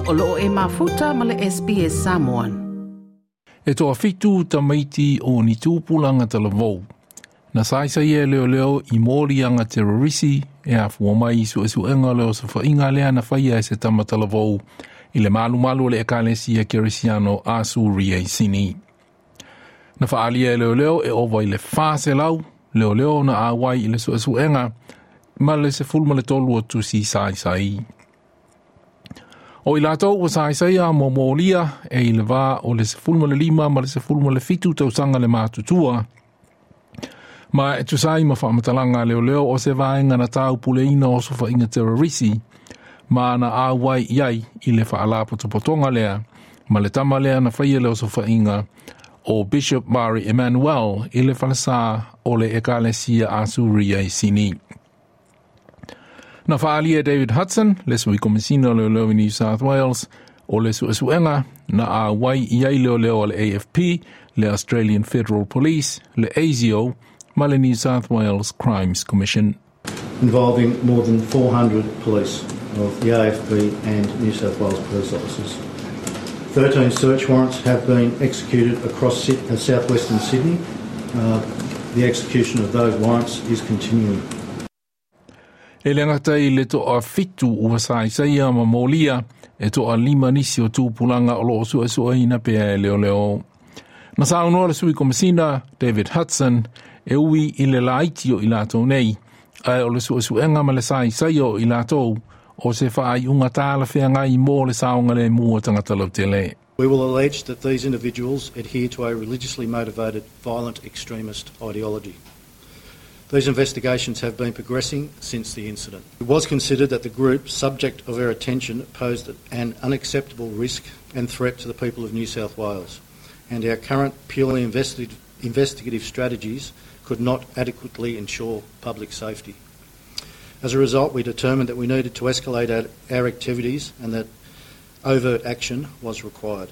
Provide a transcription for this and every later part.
O loo e mafuta ma le SBS Samoan. E toafitu tamaiti o ni tupulaga talavou. Na saisaia e leoleo i moliaga terorisi e afua mai i suesuega o le osofaiga lea na faia e se tama talavou i le malumalu o le ekalesia kerisiano a Suria i Sini. Na faaalia e leoleo e ova i le 400 leoleo na auai i le suesuega ma le 13 o tusi saisai. O i latou ua saisaia ma molia e i le va o le 15 ma le 17 tausaga le matutua. Ma e tusa ai ma faamatalaga a leoleo o se vaega na taupuleina o osofaiga terrorisi ma na auai i ai i le faalapotopotoga lea ma le tama lea na faia le osofaiga o Bishop Mari Emmanuel i le falesa o le ekalesia Asuria i Sini. Na faaalia David Hudson, le sui komisina o leoleo i New South Wales, o le suesuega na auai i ai leoleo a le AFP, le Australian Federal Police, le ASIO, ma le New South Wales Crimes Commission. Involving more than 400 police of the AFP and New South Wales police officers. 13 search warrants have been executed across southwestern Sydney. The execution of those warrants is continuing. E le gata i le toafitu ua saisaia ma molia e toalima nisi o tupulaga o loo suesueina pea e leoleo. Na saunoa le sui komisina David Hudson e ui i le laiti o i latou nei, ae o le suesuega ma le saisaia o i latou o se faaiuga talafeagai mo le saogalemu o tagata lautele. We will allege that these individuals adhere to a religiously motivated violent extremist ideology. These investigations have been progressing since the incident. It was considered that the group subject of our attention posed an unacceptable risk and threat to the people of New South Wales, and our current purely investigative strategies could not adequately ensure public safety. As a result, we determined that we needed to escalate our activities and that overt action was required.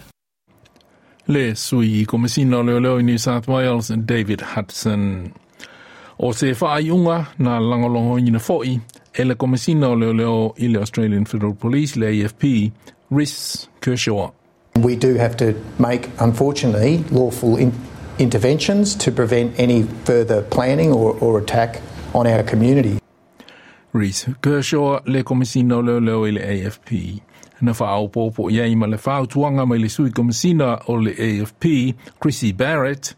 Le sui komisina o leoleo i New South Wales David Hudson. O se faaiuga na lagolagoina foi e le komisina o leoleo i le Australian Federal Police le AFP, Rhys Kershaw. We do have to make, unfortunately, lawful interventions to prevent any further planning or attack on our community. Rhys Kershaw le komisina o leoleo i le AFP. Na faaopoopo i ai ma le fautuaga mai le sui komisina o le AFP, Chrissy Barrett,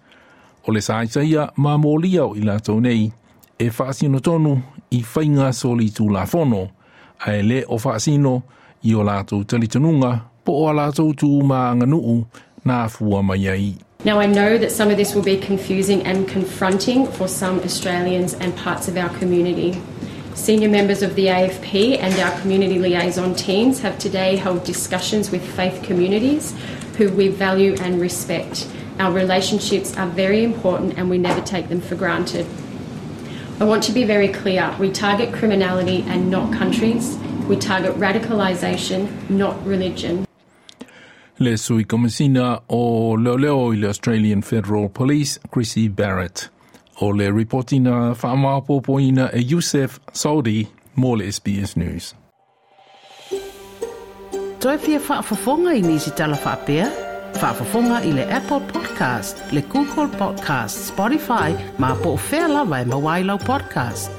o le saisaia ma molia o i latou nei e faasino tonu i faiga solitulafono, ae le o faasino i o latou talitonuga po o a latou tu ma aganuu na afua mai ai. Now, I know that some of this will be confusing and confronting for some Australians and parts of our community. Senior members of the AFP and our community liaison teams have today held discussions with faith communities who we value and respect. Our relationships are very important and we never take them for granted. I want to be very clear. We target criminality and not countries. We target radicalisation, not religion. Le sui komisina o leoleo i le Australian Federal Police, Chrissy Barrett. O le ripoti na faamaopoopoina e Youssef Saudi mo le SBS News. Toe fia faafofoga i nisi tala faapea? Faafofoga i le Apple Podcast, le Google Podcast, Spotify, ma po o fea lava e maua ai lau podcast.